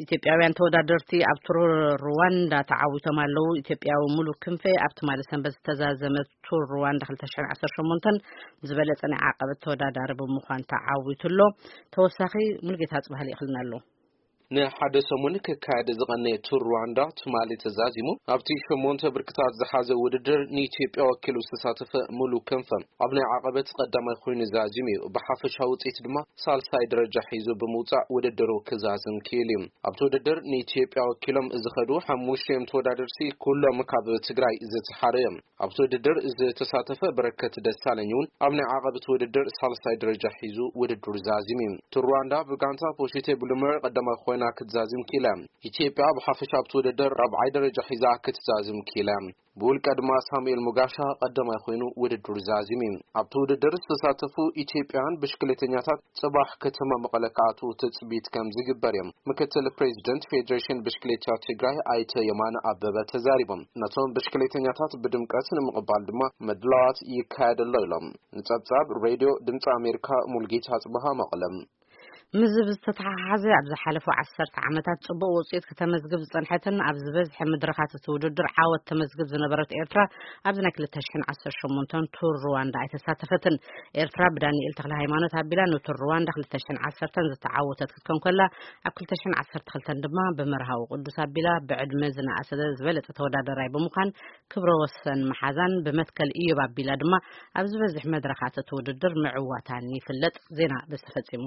ኢትዮጵያውያን ተወዳደርቲ ኣብ ቱር ሩዋንዳ ተዓዊቶም ኣለዉ። ኢትዮጵያዊ ሙሉ ክንፈ ኣብ ትማሊ ሰንበት ዝተዛዘመ ቱር ሩዋንዳ ክልተ ሽሕን ዓሰርተ ሸሞንተን ዝበለጸ ናይ ዓቐበት ተወዳዳሪ ብምዃን ተዓዊቱ ኣሎ። ተወሳኺ ሙሉጌታ ጽባህ ልኢኽልና ኣሎ። ንሓደ ሰሙን ክካየድ ዝቐነየ ቱር ሩዋንዳ ትማሊ ተዛዚሙ። ኣብቲ ሸሞንተ ብርክታት ዝሓዘ ውድድር ንኢትዮጵያ ወኪሉ ዝተሳተፈ ሙሉ ክንፈ ኣብ ናይ ዓቐበት ቀዳማይ ኮይኑ ዛዚሙ እዩ። ብሓፈሻ ውፅኢት ድማ ሳልሳይ ደረጃ ሒዙ ብምውፃእ ውድድሩ ክዛዝም ክኢሉ እዩ። ኣብቲ ውድድር ንኢትዮጵያ ወኪሎም ዝኸዱ ሓሙሽተ እዮም ተወዳደርቲ፣ ኩሎም ካብ ትግራይ ዝተሓረ እዮም። ኣብቲ ውድድር ዝተሳተፈ በረከት ደሳለኝ እውን ኣብ ናይ ዓቐብቲ ውድድር ሳልሳይ ደረጃ ሒዙ ውድድሩ ዛዚሙ እዩ። ቱር ሩዋንዳ ብጋንታ ፖሽቴ ብሉመር ቀዳማይ ኮይና ክትዛዝም ክኢላ። ኢትዮጵያ ብሓፈሻ ኣብቲ ውድድር ራብዓይ ደረጃ ሒዛ ክትዛዝም ክኢላ። ብውልቀ ድማ ሳሙኤል ሙጋሻ ቀዳማይ ኮይኑ ውድድሩ ዛዚሙ እዩ። ኣብቲ ውድድር ዝተሳተፉ ኢትዮጵያውያን ብሽክሌተኛታት ጽባሕ ከተማ መቐለ ክኣትዉ ትጽቢት ከም ዝግበር እዮም ምክትል ፕሬዚደንት ፌዴሬሽን ብሽክሌታ ትግራይ ኣይተ የማነ ኣበበ ተዛሪቦም። ነቶም ብሽክሌተኛታት ብድምቀት ንምቕባል ድማ ምድላዋት ይካየድ ኣሎ ኢሎም። ንጸብጻብ ሬድዮ ድምፂ ኣሜሪካ ሙልጌታ ጽበሃ መቐለ። ምስ ዝተተሓሓዘ ኣብ ዝሓለፉ ዓሰርተ ዓመታት ጽቡቕ ውጽኢት ከተመዝግብ ዝጸንሐትን ኣብ ዝበዝሐ መድረኻት እቲ ውድድር ዓወት ተመዝግብ ዝነበረት ኤርትራ ኣብዚ ናይ ክልተ ሽሕን ዓሰርተ ሸሞንተን ቱር ሩዋንዳ ኣይተሳተፈትን። ኤርትራ ብዳንኤል ተክለ ሃይማኖት ኣቢላ ንቱር ሩዋንዳ ክልተ ሽሕን ዓሰርተን ዝተዓወተት ክትከውን ከላ፣ ኣብ ክልተ ሽሕን ዓሰርተ ክልተን ድማ ብመርሃዊ ቅዱስ ኣቢላ ብዕድመ ዝነኣሰ ዝበለጸ ተወዳዳራይ ብምዃን ክብረ ወሰን መሓዛን ብመትከል ኢዮብ ኣቢላ ድማ ኣብ ዝበዝሕ መድረኻት እቲ ውድድር ምዕዋታን ይፍለጥ። ዜና በዚ ተፈጺሙ።